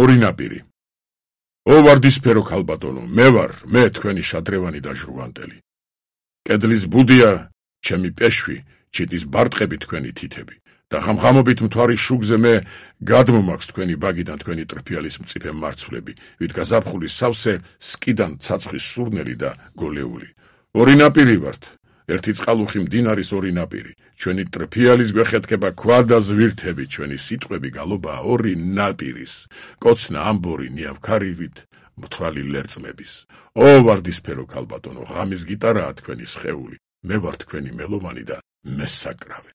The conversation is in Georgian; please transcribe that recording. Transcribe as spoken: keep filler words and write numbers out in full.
ორი ნაპირი. ო ვარდისფერო ქალბატონო, მე ვარ, მე თქვენი შადრევანი და ჟრუვანტელი. კედლის ბუდია, ჩემი პეშვი, ჩიტის ბარტყები თქვენი თითები. და ხამხამობით მთვარის შუგზე მე გადმომაქვს თქვენი ბაგიდან თქვენი ტრფიალის მწიფე მარცვლები, ვით გაზაფხულის სავსე სკიდან ცაცხის სურნელი და გოლეული. ორი ნაპირი ვართ, ერთი წყალუხი მდინარის ორი ნაპირი, ჩვენი ტრფიალის გვეხეთქება ქვა და ზვირთები, ჩვენი სიტყვები გალობაა ორი ნაპირის, კოცნა ამბორი ნიავქარივით მთვრალი ლერწმების. ო ვარდისფერო ქალბატონო, ღამის გიტარაა თქვენი სხეული, მე ვარ თქვენი მელომანი და მესაკრავე.